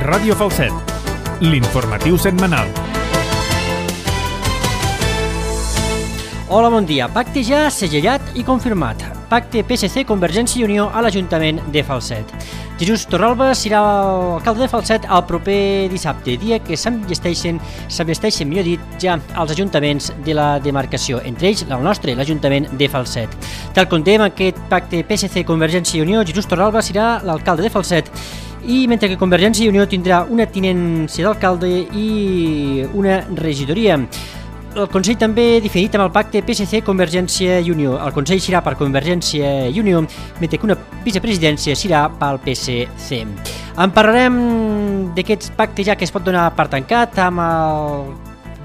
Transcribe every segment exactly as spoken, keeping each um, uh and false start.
Ràdio Falset, l'informatiu setmanal. Hola, bon dia. Pacte ja segellat i confirmat. Pacte P S C Convergència i Unió a l'Ajuntament de Falset. Jesús Torralba serà l'alcalde de Falset el proper dissabte, dia que s'enllesteixen, s'enllesteixen, millor dit, ja als ajuntaments de la demarcació, entre ells el nostre, l'Ajuntament de Falset. Tal com dèiem, aquest pacte P S C Convergència i Unió, Jesús Torralba serà l'alcalde de Falset, i mentre que Convergència i Unió tindrà una tinència d'alcalde i una regidoria. El Consell també definit amb el pacte P S C Convergència i Unió. El Consell serà per Convergència i Unió, mentre que una vicepresidència serà pel P S C. En parlarem d'aquest pacte ja que es pot donar per tancat amb el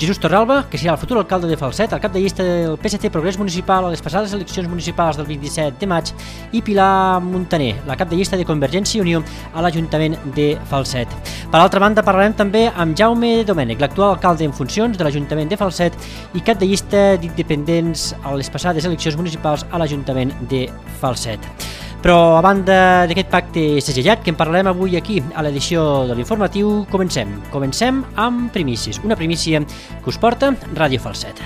Jesús Torralba, que serà el futur alcalde de Falset, el cap de llista del P S C Progrés Municipal a les passades eleccions municipals del vint-i-set de maig, i Pilar Montaner, la cap de llista de Convergència i Unió a l'Ajuntament de Falset. Per altra banda, parlarem també amb Jaume Domènech, l'actual alcalde en funcions de l'Ajuntament de Falset i cap de llista d'independents a les passades eleccions municipals a l'Ajuntament de Falset. Però a banda d'aquest pacte segellat que en parlarem avui aquí a l'edició de l'informatiu, comencem. Comencem amb primícies, una primícia que us porta Ràdio Falset.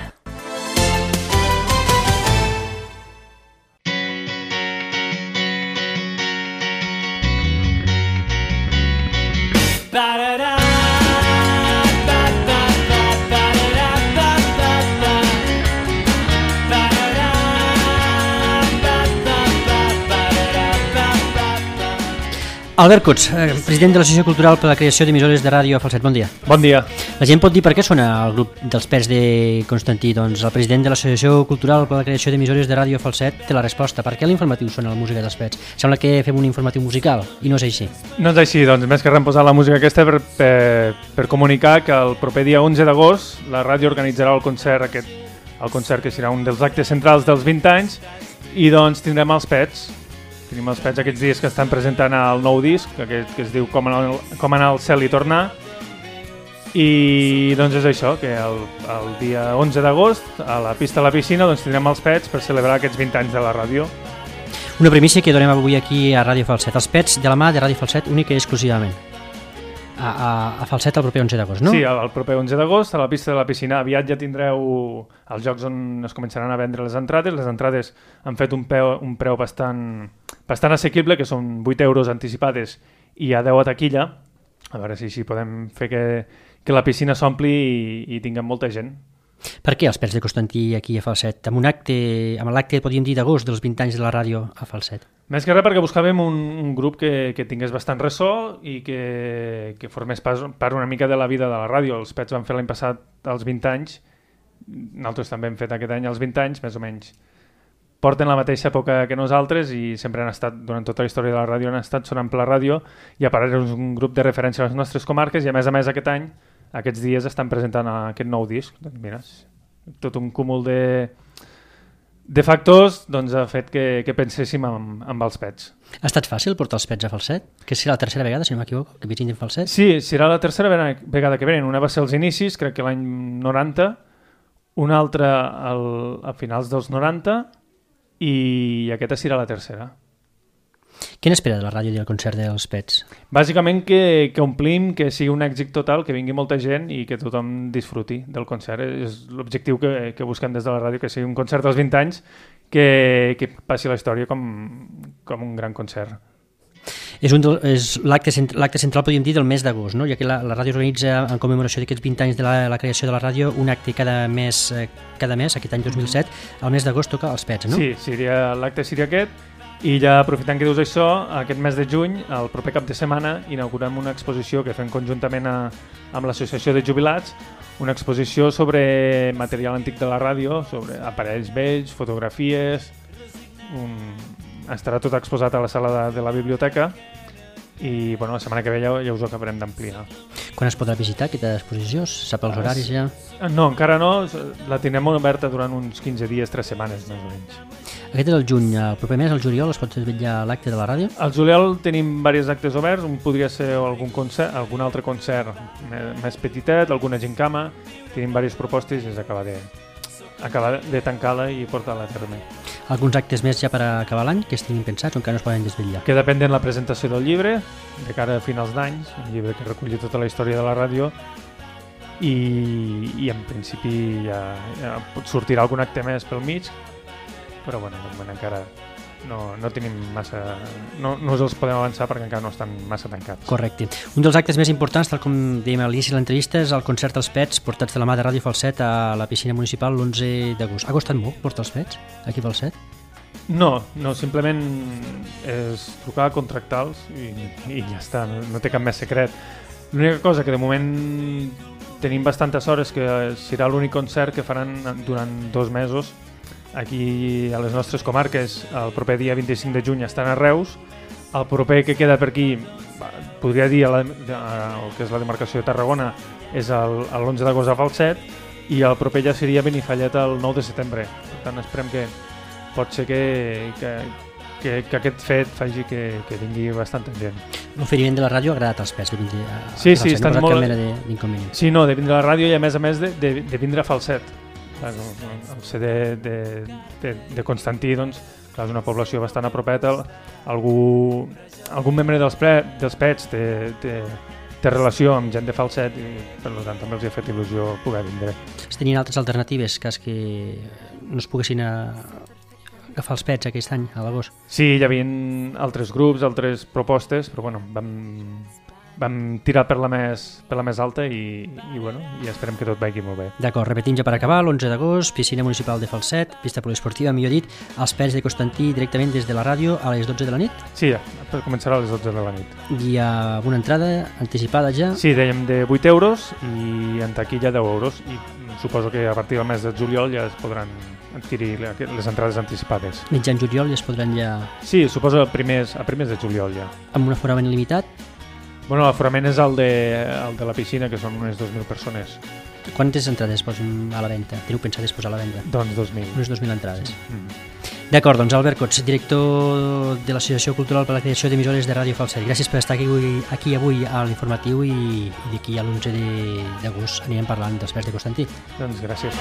Albert Cots, president de l'Associació Cultural per a la Creació d'Emissores de Ràdio a Falset, bon dia. Bon dia. La gent pot dir per què sona el grup dels Pets de Constantí? Doncs el president de l'Associació Cultural per a la Creació d'Emissores de Ràdio a Falset té la resposta. Per què l'informatiu sona la música dels Pets? Sembla que fem un informatiu musical, i no és així. No és així, doncs més que reemposar la música aquesta per, per, per comunicar que el proper dia onze d'agost la ràdio organitzarà el concert, aquest, el concert que serà un dels actes centrals dels vint anys, i doncs tindrem els Pets. Tenim els Pets aquests dies que estan presentant el nou disc, aquest que es diu Com anar, Com anar al cel i tornar. I doncs és això, que el, el dia onze d'agost a la pista a la piscina doncs tindrem els Pets per celebrar aquests vint anys de la ràdio. Una primícia que donem avui aquí a Ràdio Falset. Els Pets de la mà de Ràdio Falset únic i exclusivament. A, a, a Falset el proper onze d'agost, no? Sí, el proper onze d'agost a la pista de la piscina. Aviat ja tindreu els jocs on es començaran a vendre les entrades. Les entrades han fet un preu, un preu bastant, bastant assequible, que són vuit euros anticipades i a deu a taquilla. A veure si així podem fer que, que la piscina s'ompli i, i tinguem molta gent. Per què els Pets de Constantí aquí a Falset? Amb un acte, amb l'acte, podríem dir, d'agost dels vint anys de la ràdio a Falset. Més que res perquè buscàvem un, un grup que, que tingués bastant ressò i que, que formés pas, part una mica de la vida de la ràdio. Els Pets van fer l'any passat els vint anys, nosaltres també hem fet aquest any els vint anys, més o menys. Porten la mateixa època que nosaltres i sempre han estat, durant tota la història de la ràdio, han estat sonant per la ràdio, i a part és un grup de referència a les nostres comarques, i a més a més aquest any, aquests dies estan presentant aquest nou disc. Doncs mira, tot un cúmul de... de factors doncs, ha fet que, que penséssim amb, amb els Pets. Ha estat fàcil portar els Pets a Falset? Que serà la tercera vegada, si no m'equivoco, que visitin Falset? Sí, serà la tercera vegada que venen. Una va ser als inicis, crec que l'any noranta, una altra al, a finals dels noranta, i aquesta serà la tercera. Què n'espera de la ràdio i del concert dels Pets? Bàsicament que, que omplim, que sigui un èxit total, que vingui molta gent i que tothom disfruti del concert. És l'objectiu que, que busquem des de la ràdio, que sigui un concert dels vint anys que, que passi la història com, com un gran concert. És, un del, és l'acte l'acte central, podríem dir, del mes d'agost, no? Ja que la, la ràdio organitza en commemoració d'aquests vint anys de la, la creació de la ràdio un acte cada mes, cada mes aquest any dos mil set, al mes d'agost toca els Pets, no? Sí, seria, l'acte seria aquest. I ja aprofitant que dius això, aquest mes de juny, el proper cap de setmana, inaugurem una exposició que fem conjuntament a, amb l'Associació de Jubilats, una exposició sobre material antic de la ràdio, sobre aparells vells, fotografies, un... estarà tot exposat a la sala de, de la biblioteca i bueno, la setmana que ve ja, ja us ho acabarem d'ampliar. Quan es podrà visitar aquesta exposició? Sap els horaris ja? No, encara no, la tindrem oberta durant uns quinze dies, tres setmanes més o menys. Aquest és el juny, el proper mes, el juliol, es pot vetllar l'acte de la ràdio? Al juliol tenim diversos actes oberts, un podria ser algun, concert, algun altre concert més petitet, alguna gincama, tenim diverses propostes i és acabar de, acabar de tancar-la i portar-la a terme. alguns actes més ja per acabar l'any que estiguin pensats o encara no es poden desvetllar? Que depèn de la presentació del llibre, de cara a finals d'any, un llibre que reculli tota la història de la ràdio, i, i en principi ja, ja sortirà algun acte més pel mig, però bueno, de moment encara no, no tenim massa... No, no us els podem avançar perquè encara no estan massa tancats. Correcte. Un dels actes més importants, tal com dèiem a l'inici de l'entrevista, és el concert dels Pets portats de la mà de Ràdio Falset a la piscina municipal l'onze d'agost. Ha costat molt portar els Pets aquí a Falset? No, no, simplement és trucar, contractar-los i, i ja està, no, no té cap més secret. L'única cosa que de moment tenim bastantes hores que serà l'únic concert que faran durant dos mesos aquí a les nostres comarques. El proper dia vint-i-cinc de juny estan a Reus, el proper que queda per aquí, podria dir el que és la demarcació de Tarragona, és l'onze d'agost a Falset, i el proper ja seria Benifallet el nou de setembre. Per tant, esperem que pot ser que, que, que, que aquest fet faci que, que vingui bastant gent. L'oferiment de la ràdio ha agradat als Pets de vindre a sí, Falset, sí, no estan ha posat molt... cap mena d'inconvenient. Sí, no, de vindre a la ràdio i a més a més de, de, de vindre a Falset. El C D de, de, de Constantí, doncs, clar, és una població bastant apropeta. Algú, algun membre dels, pre, dels Pets té, té, té relació amb gent de Falset i per tant també els ha fet il·lusió poder vindre. Es tenien altres alternatives, cas que no es poguessin a... agafar els Pets aquest any, a l'agost? Sí, hi havia altres grups, altres propostes, però bueno, vam, vam tirar per la més, per la més alta i, i, bueno, i esperem que tot vagi molt bé. D'acord, repetim ja per acabar, l'onze d'agost, piscina municipal de Falset, pista poliesportiva, millor dit, els Pets de Constantí directament des de la ràdio a les dotze de la nit? Sí, ja, començarà a les dotze de la nit. Hi ha una entrada anticipada ja? Sí, dèiem de vuit euros i en taquilla deu euros, i suposo que a partir del mes de juliol ja es podran adquirir les entrades anticipades. Mitjan juliol ja es podran ja... Sí, suposo a primers, a primers de juliol ja. Amb un aforament limitat? Bueno, l'aforament és el de, el de la piscina, que són unes dos mil persones. Quantes entrades posen a la venda? Teniu pensat posar a la venda? Doncs dos mil. Unes dos mil entrades. Mm. D'acord, doncs Albert Cots, director de l'Associació Cultural per la Creació d'Emissores de Ràdio Falset. Gràcies per estar aquí avui, aquí avui a l'informatiu i, i d'aquí a l'onze d'agost anirem parlant dels Pets de Constantí. Doncs gràcies.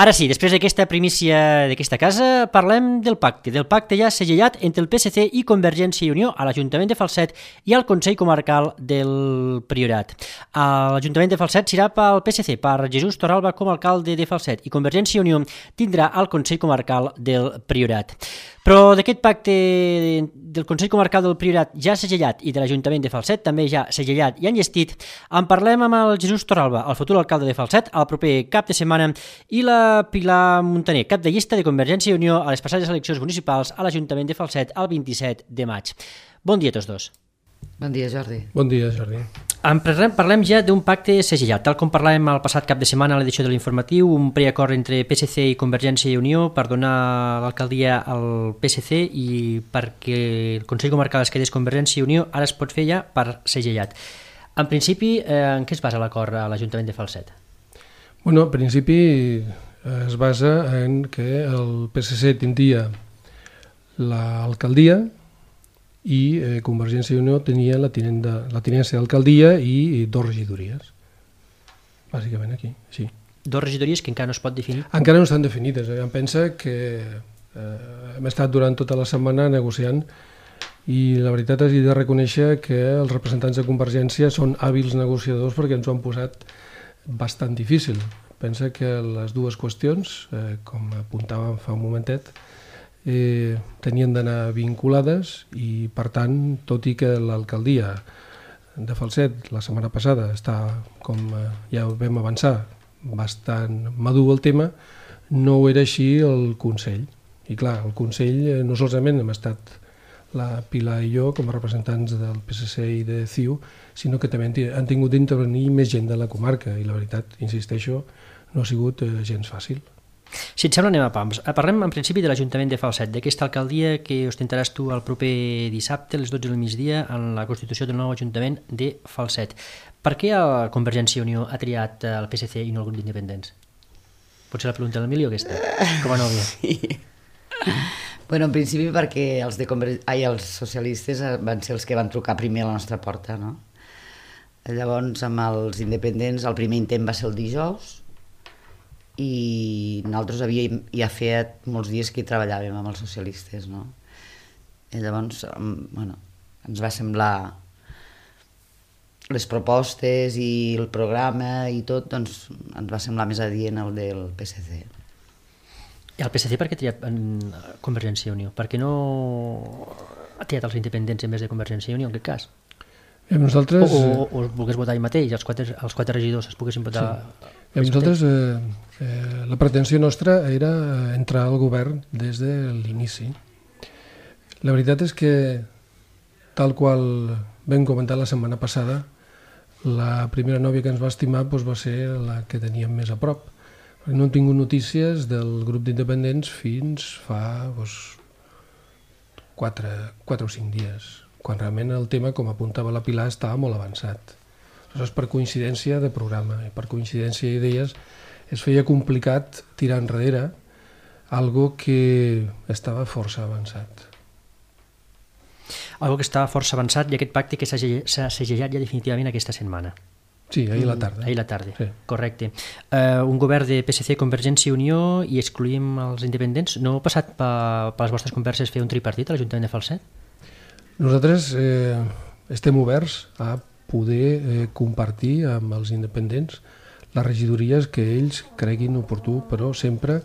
Ara sí, després d'aquesta primícia d'aquesta casa, parlem del pacte, del pacte ja segellat entre el P S C i Convergència i Unió a l'Ajuntament de Falset i al Consell Comarcal del Priorat. A l'Ajuntament de Falset serà pel P S C, per Jesús Torralba com a alcalde de Falset, i Convergència i Unió tindrà el Consell Comarcal del Priorat. Però d'aquest pacte del Consell Comarcal del Priorat ja segellat i de l'Ajuntament de Falset també ja segellat i enllestit, en parlem amb el Jesús Torralba, el futur alcalde de Falset, el proper cap de setmana, i la Pilar Montaner, cap de llista de Convergència i Unió a les passades eleccions municipals a l'Ajuntament de Falset el vint-i-set de maig. Bon dia a tots dos. Bon dia, Jordi. Bon dia, Jordi. En parlem, parlem ja d'un pacte segellat, tal com parlàvem el passat cap de setmana a l'edició de l'informatiu, un preacord entre P S C i Convergència i Unió per donar l'alcaldia al P S C i perquè el Consell Comarcal es quedés Convergència i Unió, ara es pot fer ja per segellat. En principi, eh, en què es basa l'acord a l'Ajuntament de Falset? Bueno, en principi es basa en que el P S C tindria l'alcaldia i eh, Convergència i Unió tenia la, tinenda, la tinència d'alcaldia i, i dos regidories. Bàsicament aquí, sí. Dos regidories que encara no es pot definir? Encara no estan definides. Eh? Em pensa que eh, hem estat durant tota la setmana negociant i la veritat és de reconèixer que els representants de Convergència són hàbils negociadors perquè ens ho han posat bastant difícil. Pensa que les dues qüestions, eh, com apuntàvem fa un momentet, Eh, tenien d'anar vinculades i, per tant, tot i que l'alcaldia de Falset la setmana passada està, com eh, ja vam avançar, bastant madur el tema, no ho era així el Consell. I clar, el Consell eh, no solament hem estat la Pilar i jo com a representants del P S C i de C I U, sinó que també han tingut d'intervenir més gent de la comarca i la veritat, insisteixo, no ha sigut eh, gens fàcil. Si et sembla, anem a pams. Parlem en principi de l'Ajuntament de Falset, d'aquesta alcaldia que ostentaràs tu el proper dissabte a les dotze del migdia en la constitució del nou Ajuntament de Falset. Per què la Convergència i Unió ha triat el P S C i no el grup d'independents? Pot ser la pregunta del milió aquesta, com a nòvia. Sí. Bueno, en principi perquè els, de Conver... Ai, els socialistes van ser els que van trucar primer a la nostra porta, no? Llavors, amb els independents, el primer intent va ser el dijous i nosaltres havíem ja fet molts dies que hi treballàvem amb els socialistes, no? I llavors, bueno, ens va semblar les propostes i el programa i tot, doncs ens va semblar més adient el del P S C. I el P S C per què ha triat en Convergència i Unió? Per què no ha triat els independents en vez de Convergència i Unió, en aquest cas? I nosaltres... O, o, o es volgués votar ell mateix, els quatre, els quatre regidors es poguessin votar... Sí. I nosaltres, eh, eh, la pretensió nostra era entrar al govern des de l'inici. La veritat és que, tal qual vam comentar la setmana passada, la primera nòvia que ens va estimar doncs, va ser la que teníem més a prop. No hem tingut notícies del grup d'independents fins fa doncs, quatre, quatre o cinc dies, quan realment el tema, com apuntava la Pilar, estava molt avançat. Aleshores, per coincidència de programa i per coincidència d'idees, es feia complicat tirar enrere algo que estava força avançat. Algo que estava força avançat i aquest pacte que s'ha segellat ja definitivament aquesta setmana. Sí, ahir la tarda. Ahir la tarda, sí. Correcte. Uh, un govern de P S C, Convergència i Unió i excluïm els independents. No heu passat per, per les vostres converses fer un tripartit a l'Ajuntament de Falset? Nosaltres eh, estem oberts a poder eh, compartir amb els independents les regidories que ells creguin oportú, però sempre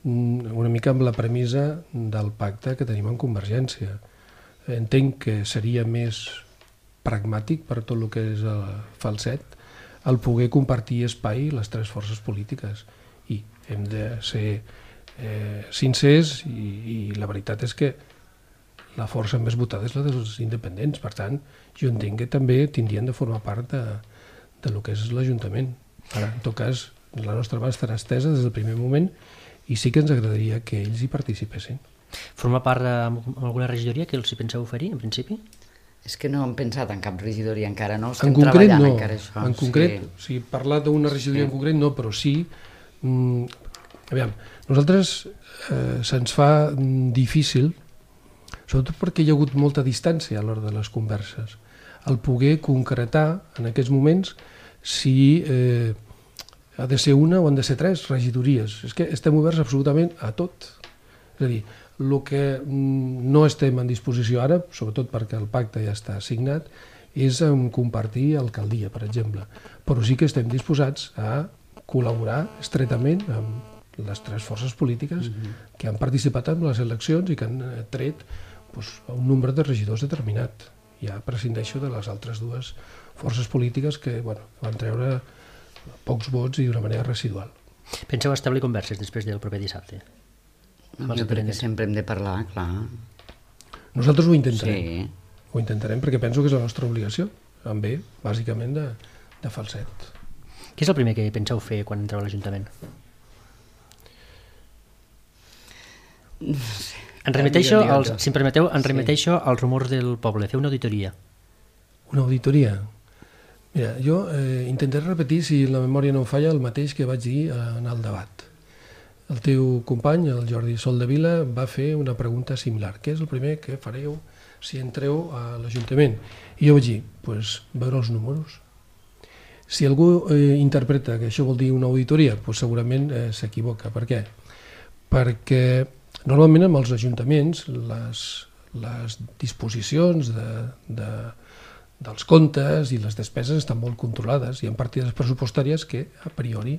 mm, una mica amb la premissa del pacte que tenim amb Convergència. Entenc que seria més pragmàtic per tot el que és el Falset el poder compartir espai les tres forces polítiques i hem de ser eh, sincers i, i la veritat és que la força més votada és la dels independents, per tant jo entenc que també tindrien de formar part de, de lo que és l'Ajuntament. Ara, en tot cas, la nostra mà estarà estesa des del primer moment i sí que ens agradaria que ells hi participessin. Forma part d'alguna regidoria que els hi penseu oferir, en principi? És que no hem pensat en cap regidoria encara, no? Estem en concret no, encara això. En concret, sí. O sigui, parlar d'una regidoria sí. En concret no, però sí, mm, aviam, nosaltres eh, se'ns fa difícil, sobretot perquè hi ha hagut molta distància a l'hora de les converses, el poder concretar en aquests moments si eh, ha de ser una o han de ser tres regidories. És que estem oberts absolutament a tot. És a dir, el que no estem en disposició ara, sobretot perquè el pacte ja està signat, és en compartir alcaldia, per exemple. Però sí que estem disposats a col·laborar estretament amb les tres forces polítiques mm-hmm. que han participat en les eleccions i que han tret doncs, un nombre de regidors determinat. Ja prescindeixo de les altres dues forces polítiques que bueno, van treure pocs vots i d'una manera residual. Penseu establir converses després del proper dissabte? Jo crec que sempre hem de parlar, clar. Nosaltres ho intentarem. Sí. Ho intentarem perquè penso que és la nostra obligació, en bé, bàsicament, de, de Falset. Què és el primer que penseu fer quan entreu a l'Ajuntament? No sé. En remeteixo, als, si em permeteu, en remeteixo sí. als rumors del poble, fer una auditoria. Una auditoria? Mira, jo eh, intentaré repetir, si la memòria no em falla, el mateix que vaig dir en el debat. El teu company, el Jordi Soldevila, va fer una pregunta similar. Què és el primer que fareu si entreu a l'Ajuntament? I jo vaig dir, pues, veure els números. Si algú eh, interpreta que això vol dir una auditoria, pues segurament eh, s'equivoca. Per què? Perquè normalment amb els ajuntaments les, les disposicions de, de, dels comptes i les despeses estan molt controlades. Hi ha partides pressupostàries que a priori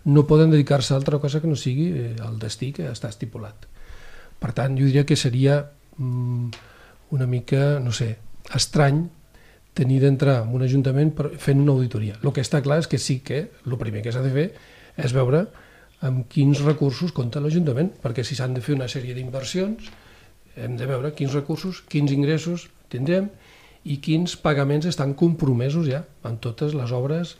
no poden dedicar-se a altra cosa que no sigui el destí que està estipulat. Per tant, jo diria que seria mm, una mica, no sé, estrany tenir d'entrar en un ajuntament fent una auditoria. El que està clar és que sí que el primer que s'ha de fer és veure amb quins recursos compta l'Ajuntament, perquè si s'han de fer una sèrie d'inversions hem de veure quins recursos, quins ingressos tindrem i quins pagaments estan compromesos ja amb totes les obres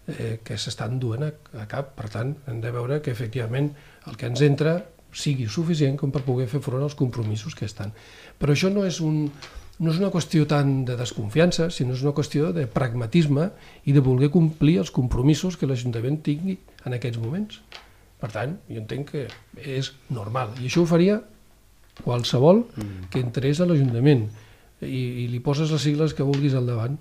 eh, que s'estan duent a, a cap. Per tant, hem de veure que efectivament el que ens entra sigui suficient com per poder fer front als compromisos que estan. Però això no és, un, no és una qüestió tant de desconfiança, sinó és una qüestió de pragmatisme i de voler complir els compromisos que l'Ajuntament tingui en aquests moments. Per tant, jo entenc que és normal. I això ho faria qualsevol que entrés a l'Ajuntament i, i li poses les sigles que vulguis al davant.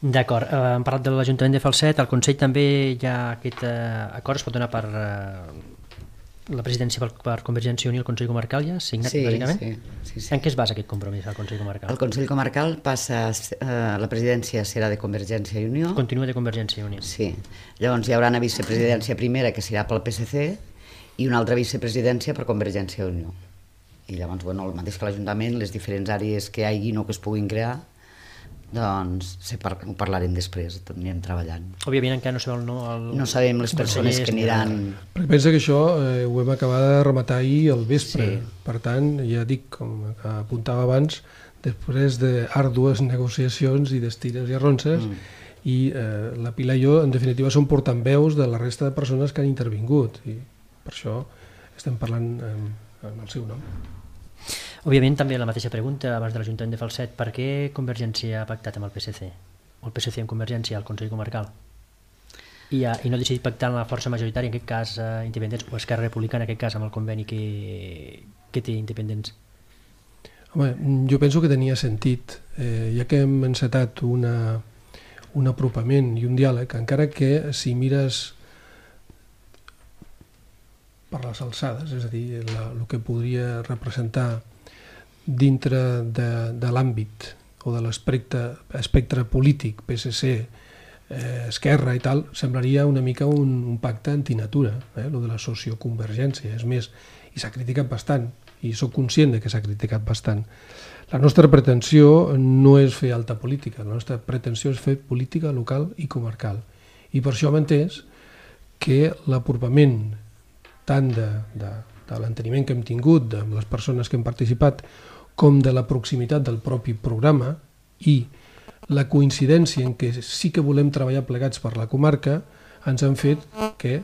D'acord, eh, hem parlat de l'Ajuntament de Falset, al Consell també hi ha aquest eh, acord, es pot donar per eh, la presidència per, per Convergència i Unió, el Consell Comarcal ja signat, Sí, bàsicament? sí, sí, sí. En què es basa aquest compromís al Consell Comarcal? El Consell Comarcal passa, eh, la presidència serà de Convergència i Unió. Continua de Convergència i Unió. Sí. Llavors hi haurà una vicepresidència primera que serà pel P S C i una altra vicepresidència per Convergència i Unió. I llavors, bueno, el mateix que l'Ajuntament, les diferents àrees que hi hagi o que es puguin crear, doncs se par ho parlarem després, anirem treballant. Òbviament encara no sabem el no... El... No sabem les persones que aniran... Perquè pensa que això eh, ho hem acabat de rematar ahir al vespre. Sí. Per tant, ja dic, com apuntava abans, després d'àrdues negociacions i d'estires i arronses, mm. i eh, la Pilar i jo, en definitiva, som portaveus de la resta de persones que han intervingut. I per això estem parlant en, en el seu nom. Òbviament també la mateixa pregunta abans de l'Ajuntament de Falset, per què Convergència ha pactat amb el P S C? O el P S C amb Convergència al Consell Comarcal? I, ha, i no ha decidit pactar amb la força majoritària, en aquest cas eh, independents, o Esquerra Republicana, en aquest cas amb el conveni que, que té independents? Home, jo penso que tenia sentit, eh, ja que hem encetat una, un apropament i un diàleg, encara que si mires per les alçades, és a dir, la, el que podria representar dintre de, de l'àmbit o de l'espectre espectre polític, P S C, eh, Esquerra i tal, semblaria una mica un, un pacte antinatura, eh, lo de la socioconvergència. És més, i s'ha criticat bastant, i sóc conscient de que s'ha criticat bastant. La nostra pretensió no és fer alta política, la nostra pretensió és fer política local i comarcal. I per això hem entès que l'apropament tant de, de, de l'enteniment que hem tingut de les persones que hem participat com de la proximitat del propi programa i la coincidència en què sí que volem treballar plegats per la comarca ens han fet que,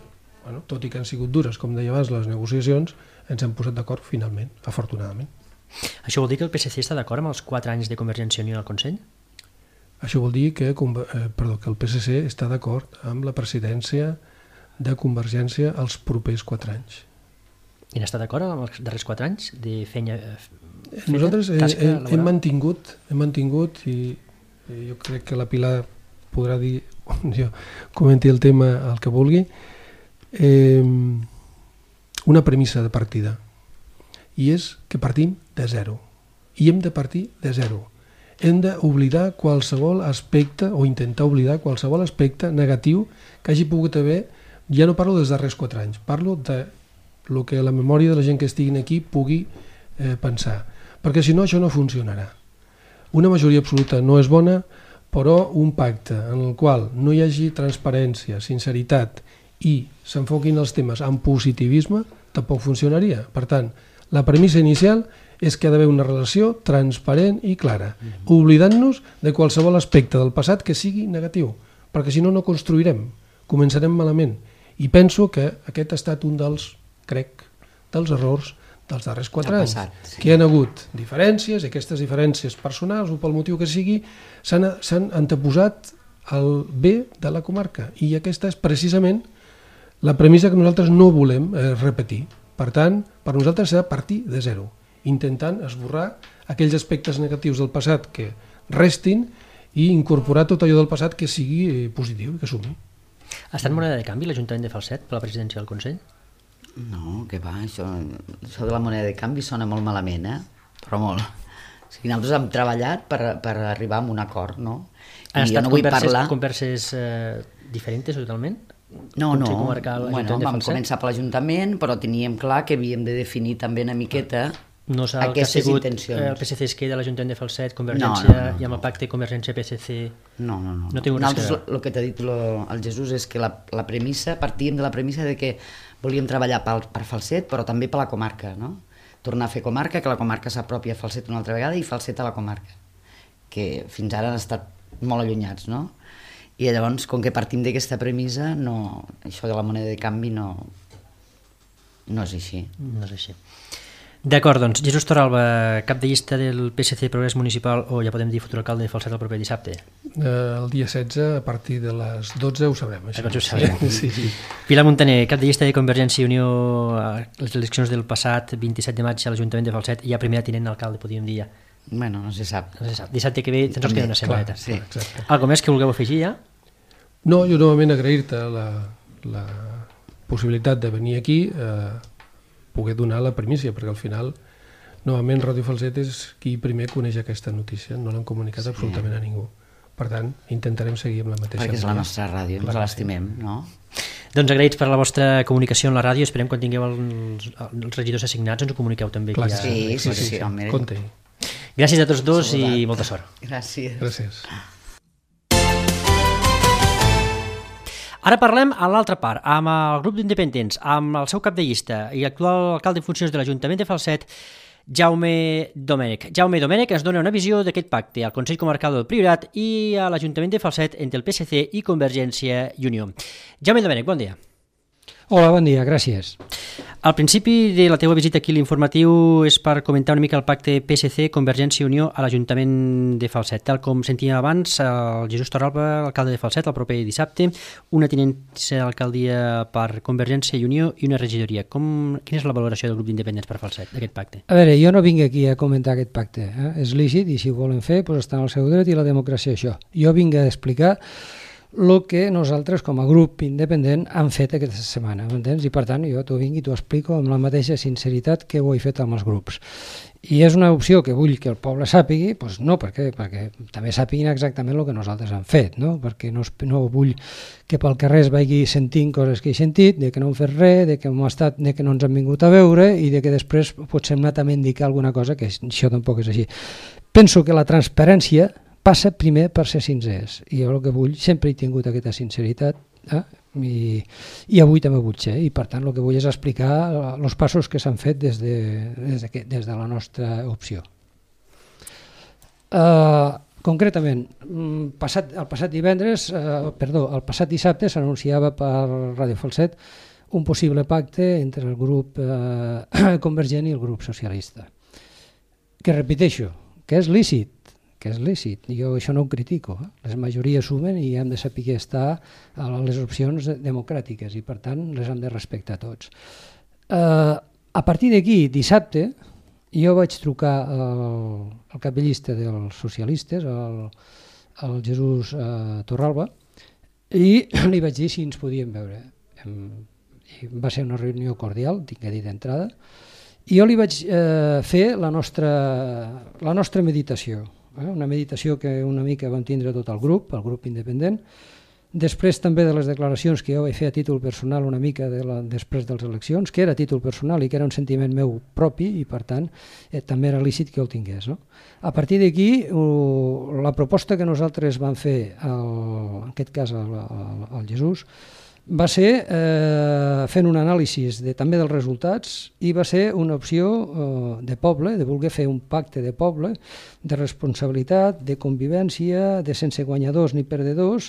bueno, tot i que han sigut dures, com deia abans, les negociacions, ens hem posat d'acord finalment, afortunadament. Això vol dir que el P S C està d'acord amb els quatre anys de Convergència i Unió al Consell? Això vol dir que, eh, perdó, que el P S C està d'acord amb la presidència de Convergència els propers quatre anys. I n'està d'acord amb els darrers quatre anys de feina feta? Nosaltres eh, hem, hem mantingut, hem mantingut i, i jo crec que la Pilar podrà dir, jo comenti el tema el que vulgui, eh, una premissa de partida, i és que partim de zero, i hem de partir de zero. Hem d'oblidar qualsevol aspecte o intentar oblidar qualsevol aspecte negatiu que hagi pogut haver. Ja no parlo dels darrers quatre anys, parlo de el que la memòria de la gent que estiguin aquí pugui eh, pensar, perquè si no això no funcionarà. Una majoria absoluta no és bona, però un pacte en el qual no hi hagi transparència, sinceritat i s'enfoquin els temes amb positivisme tampoc funcionaria. Per tant, la premissa inicial és que ha d'haver una relació transparent i clara, oblidant-nos de qualsevol aspecte del passat que sigui negatiu, perquè si no, no construirem, començarem malament. I penso que aquest ha estat un dels, crec, dels errors dels darrers quatre anys, passat, sí. que hi ha hagut diferències, i aquestes diferències personals o pel motiu que sigui, s'han anteposat al bé de la comarca. I aquesta és precisament la premissa que nosaltres no volem eh, repetir. Per tant, per nosaltres s'ha de partir de zero, intentant esborrar aquells aspectes negatius del passat que restin i incorporar tot allò del passat que sigui positiu i que sumi. Ha estat moneda de canvi l'Ajuntament de Falset per la presidència del Consell? No, que va, això, això de la moneda de canvi sona molt malament, eh? Però molt. O sigui, nosaltres hem treballat per, per arribar a un acord, no? Han I estat no vull converses, parlar... converses eh, diferents totalment? No, no, Comarcal, bueno, vam començar per l'Ajuntament, però teníem clar que havíem de definir també una miqueta no el aquestes que ha intencions. El P S C es queda a l'Ajuntament de Falset, Convergència, no, no, no, i amb el pacte Convergència-P S C... No, no, no. no Nosaltres, el que t'ha dit lo, el Jesús és que la, la premissa, partíem de la premissa de que volíem treballar per, per Falset, però també per la comarca, no? Tornar a fer comarca, que la comarca s'apropi a Falset una altra vegada i Falset a la comarca, que fins ara han estat molt allunyats, no? I llavors, com que partim d'aquesta premissa, no, això de la moneda de canvi no, no és així. No és així. D'acord, doncs, Jesús Torralba, cap de llista del P S C Progrés Municipal, o ja podem dir futur alcalde de Falset el proper dissabte. Eh, el dia setze, a partir de les dotze, ho sabrem. Això. Llavors ho sabrem. Sí, sí. Pilar Montaner, cap de llista de Convergència i Unió a les eleccions del passat vint-i-set de maig a l'Ajuntament de Falset, i ja primera tinent alcalde, podríem dir ja. Bueno, no se sap. No se sap. Dissabte que ve ens queda una setmaneta. Sí. Exacte. Algo més que vulgueu afegir ja? No, jo novament agrair-te la, la possibilitat de venir aquí a eh, poder donar la primícia, perquè al final novament Ràdio Falset és qui primer coneix aquesta notícia, no l'han comunicat sí. absolutament a ningú. Per tant, intentarem seguir amb la mateixa. Perquè és la nostra ràdio, ens l'estimem, no? Doncs agraïts per la vostra comunicació en la ràdio, esperem quan tingueu els, els regidors assignats ens ho comuniqueu també. Clar, ja... sí, sí, sí, sí, sí. Compte-hi. Gràcies a tots dos i molta sort. Gràcies. Gràcies. Ara parlem a l'altra part, amb el grup d'independents, amb el seu cap de llista i actual alcalde en funcions de l'Ajuntament de Falset, Jaume Domènech. Jaume Domènech ens dona una visió d'aquest pacte al Consell Comarcal del Priorat i a l'Ajuntament de Falset entre el P S C i Convergència i Unió. Jaume Domènech, bon dia. Hola, bon dia, gràcies. Al principi de la teva visita aquí a l'informatiu és per comentar una mica el pacte P S C Convergència i Unió a l'Ajuntament de Falset. Tal com sentíem abans, el Jesús Torralba, alcalde de Falset, el proper dissabte, una tinença d'alcaldia per Convergència i Unió i una regidoria. Com, quina és la valoració del grup d'independents per Falset, d'aquest pacte? A veure, jo no vinc aquí a comentar aquest pacte. Eh? És lícit i si ho volen fer, doncs estan al seu dret i la democràcia això. Jo vinc a explicar el que nosaltres com a grup independent hem fet aquesta setmana, m'entens? I per tant jo t'ho vinc i t'ho explico amb la mateixa sinceritat que ho he fet amb els grups. I és una opció que vull que el poble sàpigui, doncs no, perquè, perquè també sàpiguin exactament el que nosaltres hem fet, no? Perquè no, no vull que pel carrer es vagi sentint coses que he sentit, de que no hem fet res, de que, hem estat, de que no ens han vingut a veure i de que després potser hem anat a mendicar alguna cosa, que això tampoc és així. Penso que la transparència passa primer per ser sincers, i jo el que vull, sempre he tingut aquesta sinceritat, eh? I, i avui també vull ser, i per tant el que vull és explicar els passos que s'han fet des de, des, de, des de la nostra opció. Uh, concretament, passat, el passat divendres, uh, perdó, el passat dissabte s'anunciava per Ràdio Falset un possible pacte entre el grup uh, convergent i el grup socialista, que repeteixo, que és lícit, que és lícit, jo això no ho critico, eh? Les majories sumen i hem de saber estar a les opcions democràtiques i per tant les hem de respectar tots. Uh, a partir d'aquí, dissabte, jo vaig trucar al, al cap de llista dels socialistes, al, al Jesús uh, Torralba, i li vaig dir si ens podíem veure. I va ser una reunió cordial, tinc que dir d'entrada, i jo li vaig eh, fer la nostra, la nostra meditació, eh? Una meditació que una mica vam tindre tot el grup, el grup independent, després també de les declaracions que jo vaig fer a títol personal una mica de la, després de les eleccions, que era a títol personal i que era un sentiment meu propi i per tant eh, també era lícit que el tingués. No? A partir d'aquí, uh, la proposta que nosaltres vam fer, al, en aquest cas al, al, al Jesús, va ser eh, fent un anàlisi de, també dels resultats i va ser una opció eh, de poble, de voler fer un pacte de poble, de responsabilitat, de convivència, de sense guanyadors ni perdedors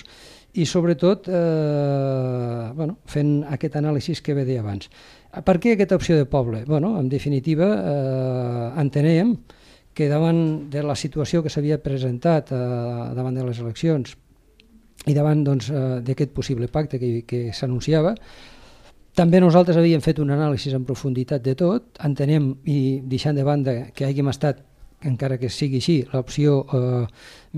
i sobretot eh, bueno, fent aquest anàlisi que ve d'abans. Per què aquesta opció de poble? Bueno, en definitiva, eh, entenem que davant de la situació que s'havia presentat eh, davant de les eleccions i davant doncs, d'aquest possible pacte que, que s'anunciava, també nosaltres havíem fet un anàlisi en profunditat de tot, entenem i deixant de banda que hàgim estat, encara que sigui així, l'opció eh,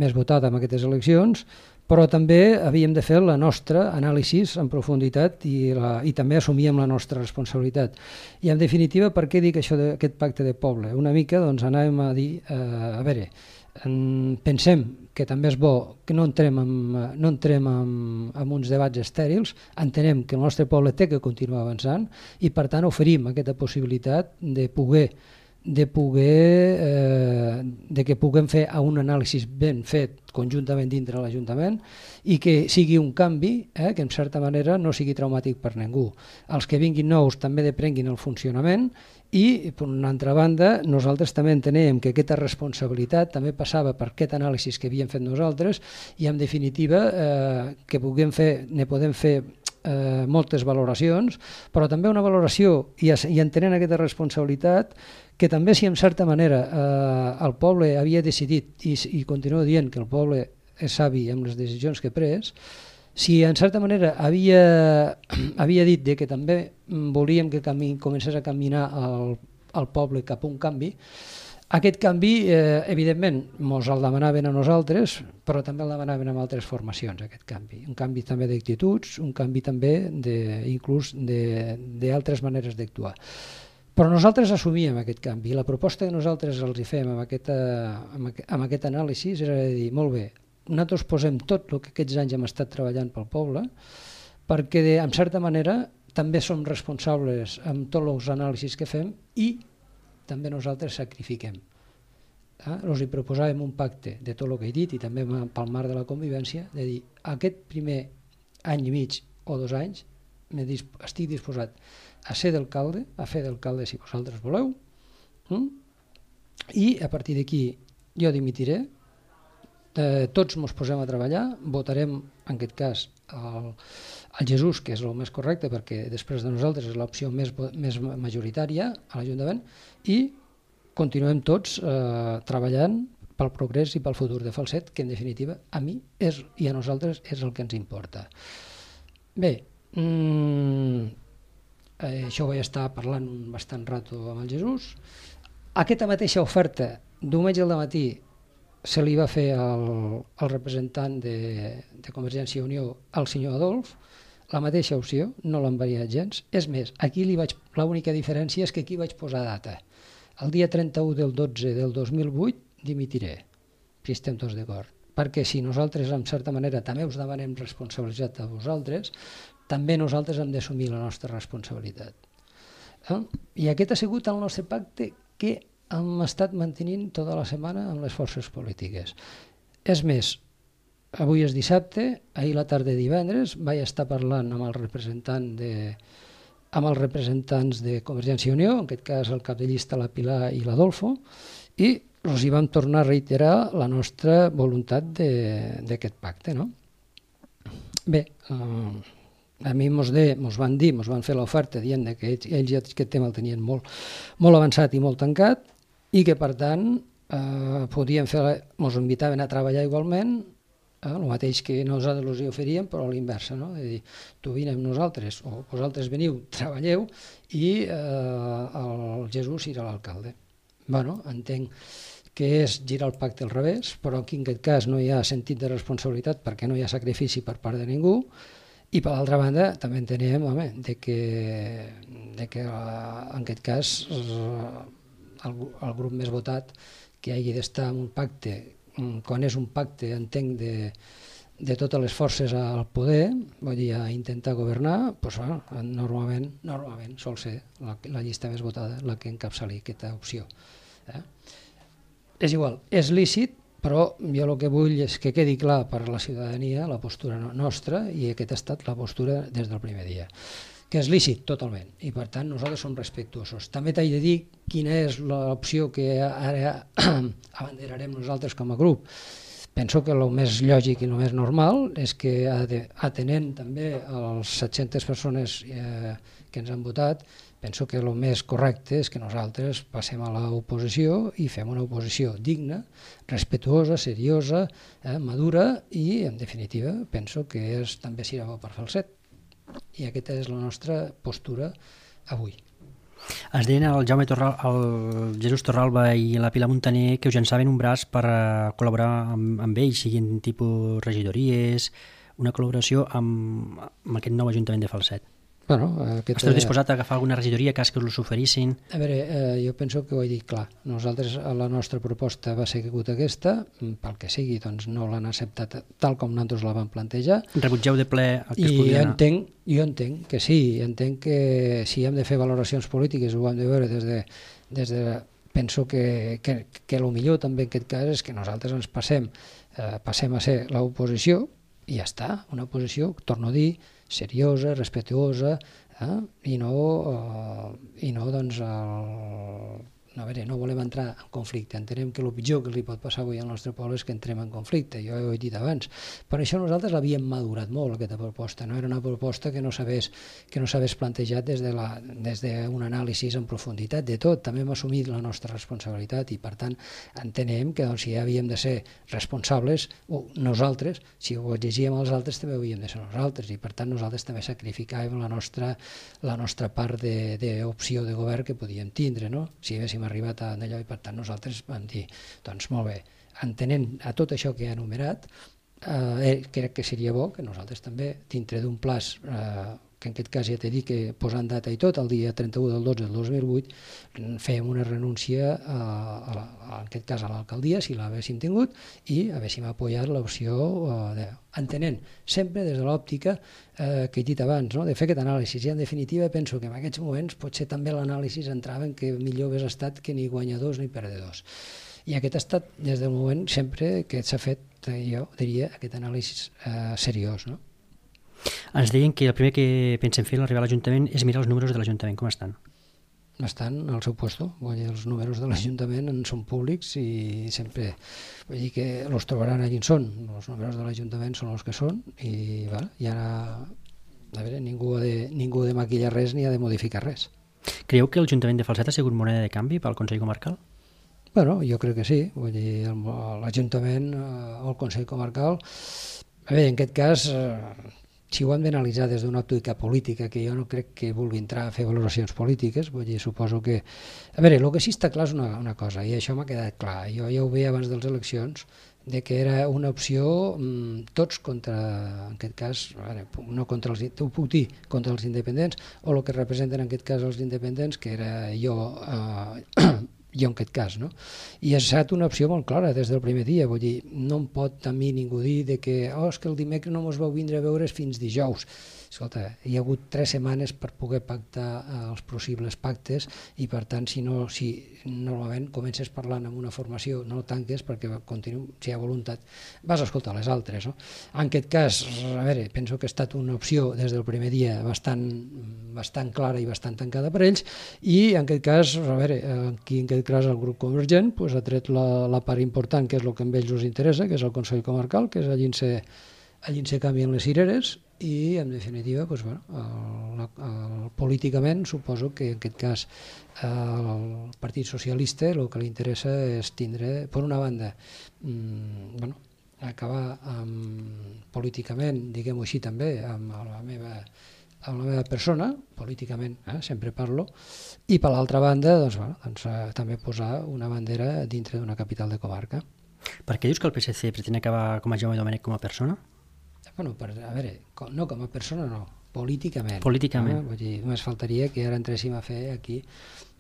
més votada en aquestes eleccions, però també havíem de fer la nostra anàlisi en profunditat i, la, i també assumíem la nostra responsabilitat. I en definitiva, per què dic això d'aquest pacte de poble? Una mica doncs, anàvem a dir, eh, a veure, en, pensem que també és bo que no entrem en, no entrem en, en uns debats estèrils, entenem que el nostre poble té que continuar avançant i per tant oferim aquesta possibilitat de poder de poder eh, de que puguem fer un anàlisi ben fet conjuntament dintre l'Ajuntament i que sigui un canvi eh, que en certa manera no sigui traumàtic per ningú. Els que vinguin nous també deprenguin el funcionament i, per una altra banda, nosaltres també entenem que aquesta responsabilitat també passava per aquest anàlisi que havíem fet nosaltres i, en definitiva, eh, que puguem fer, ne podem fer eh, moltes valoracions, però també una valoració i, i entenent aquesta responsabilitat que també si en certa manera eh, el poble havia decidit i, i continuo dient que el poble és savi amb les decisions que ha pres, si en certa manera havia, havia dit de que també volíem que cami, comencés a caminar el, el poble cap a un canvi, aquest canvi, eh, evidentment, ens el demanaven a nosaltres, però també el demanaven amb altres formacions, aquest canvi. Un canvi també d'actituds, un canvi també de, inclús d'altres maneres d'actuar. Però nosaltres assumíem aquest canvi i la proposta que nosaltres els hi fem amb, aquesta, amb, aquest, amb aquest anàlisi era de dir, molt bé, nosaltres posem tot el que aquests anys hem estat treballant pel poble perquè, de, en certa manera, també som responsables amb tots els anàlisis que fem i també nosaltres sacrifiquem. Eh? Els hi proposàvem un pacte de tot el que he dit i també pel marc de la convivència, de dir, aquest primer any i mig o dos anys estic disposat a ser d'alcalde, a fer d'alcalde si vosaltres voleu, mm? I a partir d'aquí jo dimitiré, eh, tots ens posem a treballar, votarem en aquest cas el, el Jesús, que és el més correcte perquè després de nosaltres és l'opció més, més majoritària a l'Ajuntament, i continuem tots eh, treballant pel progrés i pel futur de Falset, que en definitiva a mi és, i a nosaltres és el que ens importa. Bé, mmm, eh, això ho vaig estar parlant bastant rato amb el Jesús. Aquesta mateixa oferta, diumenge al matí, se li va fer al, al representant de, de Convergència i Unió, al senyor Adolf, la mateixa opció, no l'han variat gens. És més, aquí li vaig, l'única diferència és que aquí vaig posar data. El dia trenta-u del dotze del dos mil vuit dimitiré, si estem tots d'acord. Perquè si nosaltres, en certa manera, també us demanem responsabilitat a vosaltres, també nosaltres hem d'assumir la nostra responsabilitat. Eh? I aquest ha sigut el nostre pacte que hem estat mantenint tota la setmana amb les forces polítiques. És més, avui és dissabte, ahir la tarda de divendres vaig estar parlant amb el representant de, amb els representants de Convergència i Unió, en aquest cas el cap de llista la Pilar i l'Adolfo, i els hi vam tornar a reiterar la nostra voluntat d'aquest pacte. No? Bé, eh, a mi mos, de, mos van dir, mos van fer l'oferta dient que ells, ells ja aquest tema el tenien molt, molt avançat i molt tancat, i que per tant eh, podíem fer, mos invitaven a treballar igualment, eh, el mateix que nosaltres els hi oferíem, però a l'inversa, no? És dir, tu vine amb nosaltres, o vosaltres veniu, treballeu, i eh, el Jesús serà l'alcalde. Bueno, entenc que és girar el pacte al revés, però aquí en aquest cas no hi ha sentit de responsabilitat perquè no hi ha sacrifici per part de ningú, i per l'altra banda també entenem, home, de que, de que en aquest cas el, el grup més votat que hagi d'estar en un pacte, quan és un pacte, entenc, de, de totes les forces al poder, vull dir, a intentar governar, doncs, bueno, normalment, normalment sol ser la, la llista més votada la que encapçali aquesta opció. Eh? És igual, és lícit, però jo el que vull és que quedi clar per a la ciutadania la postura nostra, i aquesta ha estat la postura des del primer dia, que és lícit totalment, i per tant nosaltres som respectuosos. També t'he de dir quina és l'opció que ara abanderarem nosaltres com a grup. Penso que el més lògic i el més normal és que, atenent també a les set-centes persones eh, que ens han votat, penso que el més correcte és que nosaltres passem a l'oposició i fem una oposició digna, respetuosa, seriosa, eh, madura, i en definitiva penso que és, també serà bo per Falset. I aquesta és la nostra postura avui. Es deien el Jaume Torral, el Jesús Torralba i la Pilar Montaner que us llançaven un braç per col·laborar amb, amb ells, siguin tipus regidories, una col·laboració amb, amb aquest nou Ajuntament de Falset. Bueno, aquest, Esteu disposat a agafar alguna regidoria cas que us l'oferissin? A veure, eh, jo penso que ho he dit clar. Nosaltres, la nostra proposta va ser aquesta, pel que sigui, doncs no l'han acceptat tal com nosaltres la vam plantejar. Rebutgeu de ple el que I es podia anar? Entenc, jo entenc que sí, entenc que si hem de fer valoracions polítiques ho hem de veure des de... Des de penso que, que, que el millor també en aquest cas és que nosaltres ens passem, eh, passem a ser l'oposició i ja està, una oposició, torno a dir, seriosa, respetuosa, eh? I no, eh, i no doncs, el, no, a veure, no volem entrar en conflicte, entenem que el pitjor que li pot passar avui al nostre poble és que entrem en conflicte, jo ho he dit abans. Per això nosaltres l'havíem madurat molt, aquesta proposta, no era una proposta que no s'hagués que no s'hagués plantejat des de la, des d'un anàlisi en profunditat de tot, també hem assumit la nostra responsabilitat i per tant entenem que doncs, si havíem de ser responsables, o nosaltres, si ho exigíem als altres també havíem de ser nosaltres i per tant nosaltres també sacrificàvem la nostra, la nostra part d'opció de, de govern que podíem tindre, no? Si haguéssim arribat a allò i per tant nosaltres vam dir, doncs molt bé, entenent a tot això que he enumerat, eh, crec que seria bo que nosaltres també, dintre d'un plaç, eh, que en aquest cas ja t'he dit que posant data i tot, el dia trenta-u del dotze del dos mil vuit, fèiem una renúncia, a, a la, en aquest cas a l'alcaldia, si l'haguéssim tingut, i haguéssim apoyat l'opció, eh, entenent sempre des de l'òptica eh, que he dit abans, no? De fer aquest anàlisi. I en definitiva penso que en aquests moments potser també l'anàlisi entrava en que millor hagués estat que ni guanyadors ni perdedors. I aquest ha estat des del moment sempre que s'ha fet, jo diria, aquest anàlisi eh, seriós, no? Ens deien que el primer que pensem fer a l'arribar a l'Ajuntament és mirar els números de l'Ajuntament, com estan? Estan al seu puesto, vull dir, els números de l'Ajuntament en són públics i sempre, vull dir que els trobaran allà on són, els números de l'Ajuntament són els que són i va, i ara, a veure, ningú ha, de, ningú ha de maquillar res ni ha de modificar res. Creieu que l'Ajuntament de Falset ha sigut moneda de canvi pel Consell Comarcal? Bueno, jo crec que sí, vull dir, l'Ajuntament o el Consell Comarcal, a veure, en aquest cas, si ho hem d'analitzar des d'una òptica política, que jo no crec que vulgui entrar a fer valoracions polítiques, vull dir, suposo que... A veure, el que sí està clar és una, una cosa, i això m'ha quedat clar, jo ja ho veia abans de les eleccions, de que era una opció mmm, tots contra, en aquest cas, veure, no contra els, ho puc dir, contra els independents, o el que representen en aquest cas els independents, que era jo... Eh, jo en aquest cas, no? I ha estat una opció molt clara des del primer dia, vull dir, no em pot a mi ningú dir de que, oh, és que el dimecres no mos vau vindre a veure fins dijous. Escolta, hi ha hagut tres setmanes per poder pactar els possibles pactes i per tant, si no, si normalment comences parlant amb una formació, no tanques perquè continu, si hi ha voluntat, vas a escoltar les altres, no? En aquest cas, a veure, penso que ha estat una opció des del primer dia bastant, bastant clara i bastant tancada per ells i en aquest cas, a veure, aquí en aquest cas el grup convergent pues, ha tret la, la part important que és el que a ells us interessa, que és el Consell Comarcal, que és allí on se, allí on se canvien les cireres i en definitiva pues, bueno, el, el, políticament suposo que en aquest cas el Partit Socialista el que li interessa és tindre per una banda mmm, bueno, acabar amb, políticament, diguem-ho així també, amb la meva amb la meva persona, políticament, eh, sempre parlo, i per l'altra banda doncs, bueno, doncs, eh, també posar una bandera dintre d'una capital de comarca. Per què dius que el P S C pretén acabar com a Jaume Domènech com a persona? Bueno, per, a veure, no com a persona no, políticament. Políticament. Eh? Vull dir, només faltaria que ara entréssim a fer aquí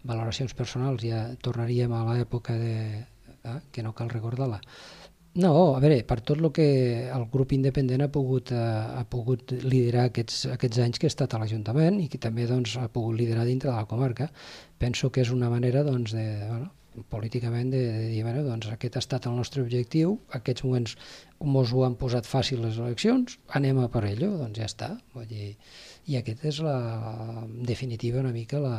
valoracions personals, ja tornaríem a l'època de... Eh, que no cal recordar-la. No, a veure, per tot el que el grup independent ha pogut, eh, ha pogut liderar aquests, aquests anys que ha estat a l'Ajuntament i que també doncs, ha pogut liderar dintre de la comarca, penso que és una manera doncs, de... Bueno, políticament de, de dir, bueno, doncs aquest ha estat el nostre objectiu, aquests moments ens ho han posat fàcil les eleccions, anem a per ello, doncs ja està. Vull dir, i aquest és la, en definitiva una mica la,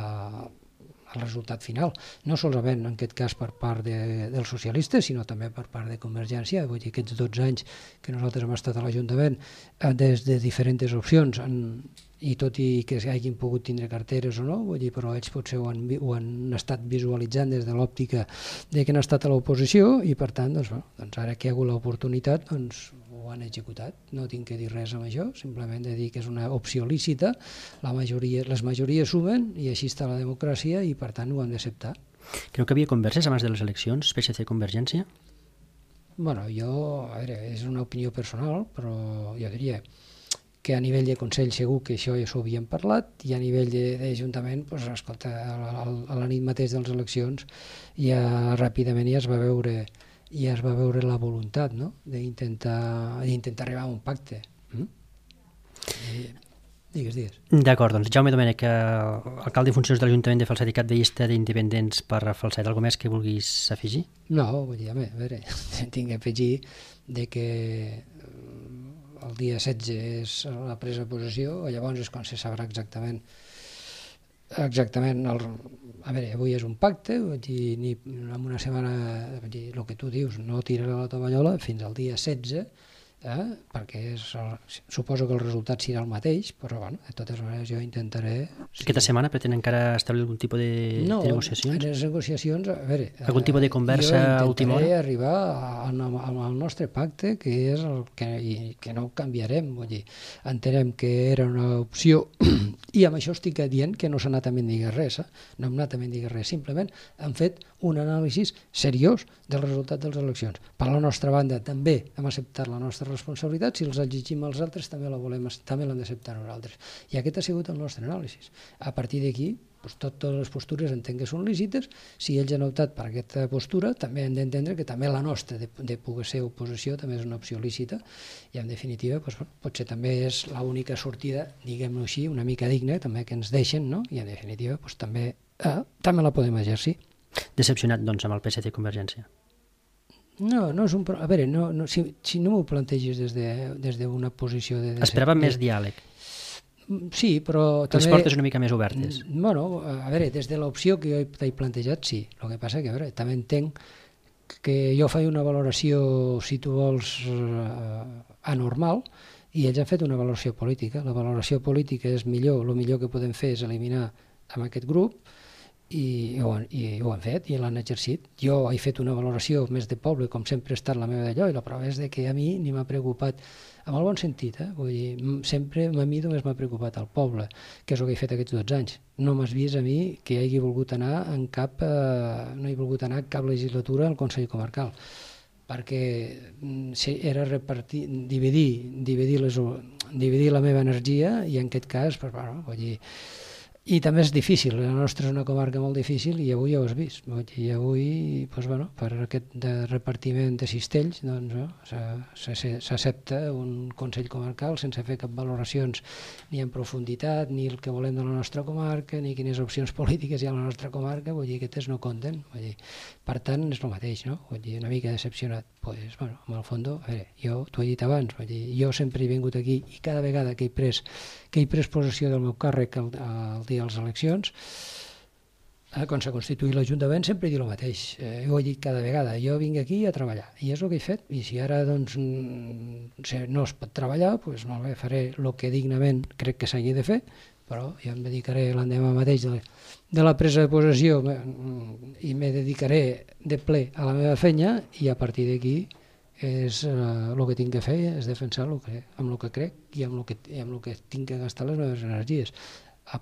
el resultat final, no solament en aquest cas per part de, dels socialistes, sinó també per part de Convergència. Vull dir, aquests dotze anys que nosaltres hem estat a l'Ajuntament eh, des de diferents opcions en, i tot i que hagin pogut tindre carteres o no, vull dir, però ells potser ho han, ho han estat visualitzant des de l'òptica de que han estat a l'oposició i per tant, doncs, bueno, doncs ara que hi ha hagut l'oportunitat, doncs ho han executat. No tinc que dir res amb això, simplement de dir que és una opció lícita, la majoria, les majories sumen i així està la democràcia i per tant ho han d'acceptar. Creu que havia converses abans de les eleccions, P S C Convergència? Bueno, jo, a veure, és una opinió personal, però jo diria que a nivell de Consell segur que això ja s'ho havíem parlat i a nivell d'Ajuntament, doncs, escolta, a la nit mateix de les eleccions ja ràpidament ja es va veure, ja es va veure la voluntat, no?, d'intentar d'intentar arribar a un pacte. Mm? I, digues, digues. D'acord, doncs Jaume Domènech, alcalde en funcions de l'Ajuntament de Falset i cap de llista d'independents per Falset, alguna més que vulguis afegir? No, vull dir, a veure, tinc que afegir de que el dia setze és la presa de possessió, llavors és quan se sabrà exactament Exactament, el, a veure, avui és un pacte, vull dir, ni en una setmana, vull dir, el que tu dius, no tirarà la tovallola fins al dia setze, eh? perquè és el, suposo que el resultat serà el mateix, però bueno, de totes maneres jo intentaré... Si... Aquesta setmana pretén encara establir algun tipus de, no, de negociacions? No, en les negociacions, a veure... Algun tipus de conversa a última hora? Jo intentaré arribar al, al nostre pacte, que és el que, i, que no canviarem, vull dir, entenem que era una opció i amb això estic dient que no s'ha anat a mendigar res, eh? no hem anat a mendigar res, simplement han fet un anàlisi seriós del resultat de les eleccions. Per la nostra banda també hem acceptat la nostra responsabilitat, si els exigim als altres també la volem, també l'hem d'acceptar nosaltres. I aquest ha sigut el nostre anàlisi. A partir d'aquí, doncs, totes les postures entenc que són lícites, si ells han optat per aquesta postura, també hem d'entendre que també la nostra, de, de poder ser oposició, també és una opció lícita, i en definitiva doncs, potser també és l'única sortida, diguem-ho així, una mica digna, també que ens deixen, no? I en definitiva doncs, també, eh, també la podem exercir. Decepcionat, doncs, amb el P S C i Convergència? No, no és un... A veure, no, no, si, si no m'ho plantegis des d'una de, des de posició de... de Esperava de, més diàleg. Sí, però que també... les portes una mica més obertes. Bueno, a veure, des de l'opció que jo he plantejat, sí. El que passa que, a veure, també entenc que jo faig una valoració, si tu vols, eh, anormal, i ells han fet una valoració política. La valoració política és millor, el millor que podem fer és eliminar amb aquest grup, i ho, han, i ho han fet i l'han exercit. Jo he fet una valoració més de poble, com sempre ha estat la meva d'allò, i la prova és de que a mi ni m'ha preocupat, en el bon sentit, eh? Vull dir, sempre a mi només m'ha preocupat el poble, que és el que he fet aquests dotze anys. No m'has vist a mi que hagi volgut anar en cap, eh, no he volgut anar en cap legislatura al Consell Comarcal, perquè era repartir, dividir, dividir, les, dividir la meva energia, i en aquest cas, pues, bueno, vull dir, i també és difícil, la nostra és una comarca molt difícil i avui ja ho has vist. I avui, doncs, bueno, per aquest de repartiment de cistells, doncs, no, s'accepta un Consell Comarcal sense fer cap valoracions ni en profunditat, ni el que volem de la nostra comarca, ni quines opcions polítiques hi ha a la nostra comarca, vull dir que aquests no compten. Vull dir, per tant, és el mateix, no? Vull dir, una mica decepcionat. Pues, bueno, en el fons, a veure, jo t'ho he dit abans, vull dir, jo sempre he vingut aquí i cada vegada que he pres, que he pres possessió del meu càrrec el, el dia de les eleccions, eh, quan s'ha constituït l'Ajuntament, sempre he dit el mateix, eh, ho he dit cada vegada, jo vinc aquí a treballar, i és el que he fet, i si ara doncs, no es pot treballar, doncs molt bé, faré el que dignament crec que s'hagi de fer, però jo em dedicaré l'endemà mateix de la, de la presa de possessió i me dedicaré de ple a la meva feina, i a partir d'aquí és uh, el que tinc que fer és defensar lo que, amb el que crec i amb el que, amb el que tinc que gastar les meves energies.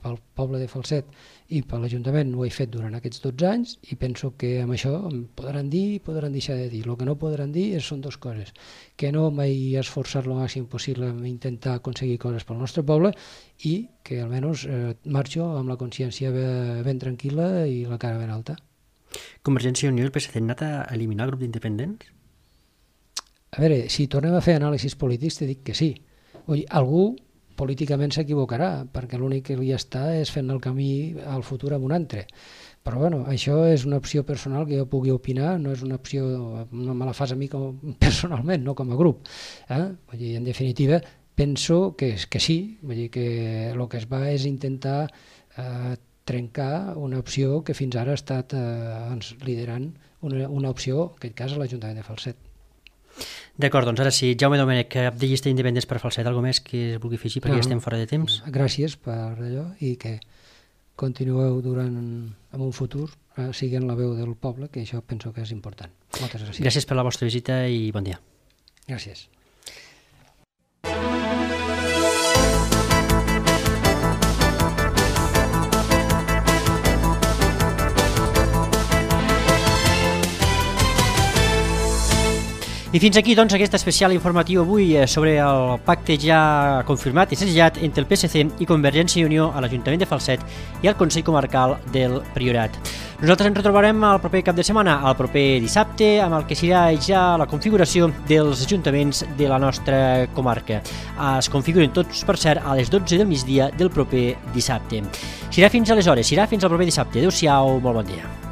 Pel poble de Falset i per l'Ajuntament ho he fet durant aquests dotze anys i penso que amb això em podran dir i podran deixar de dir. El que no podran dir és, són dues coses, que no m'he esforçat el màxim possible en intentar aconseguir coses pel nostre poble i que almenys eh, marxo amb la consciència ben, ben tranquil·la i la cara ben alta. Convergència i Unió i el P S C han anat a eliminar el grup d'independents? A veure, si tornem a fer anàlisis polítics te dic que sí. Vull dir, algú políticament s'equivocarà, perquè l'únic que li està és fent el camí al futur amb un altre. Però bueno, això és una opció personal que jo pugui opinar, no és una opció, no me la fas a mi com, personalment, no com a grup. Eh? Vull dir, en definitiva, penso que, que sí, vull dir que el que es va és intentar eh, trencar una opció que fins ara ha estat eh, liderant una, una opció, en aquest cas a l'Ajuntament de Falset. D'acord, doncs ara sí, Jaume Domènech, cap de llista d'independents per Falset, alguna més que es vulgui afegir perquè no, estem fora de temps? Gràcies per allò i que continueu durant en un futur eh, siguent la veu del poble, que això penso que és important. Moltes gràcies. Gràcies per la vostra visita i bon dia. Gràcies. I fins aquí, doncs, aquest especial informatiu avui sobre el pacte ja confirmat i segellat entre el P S C i Convergència i Unió a l'Ajuntament de Falset i al Consell Comarcal del Priorat. Nosaltres ens retrobarem el proper cap de setmana, el proper dissabte, amb el que serà ja la configuració dels ajuntaments de la nostra comarca. Es configuren tots, per cert, a les dotze del migdia del proper dissabte. Serà fins aleshores, serà fins al proper dissabte. Adéu-siau, molt bon dia.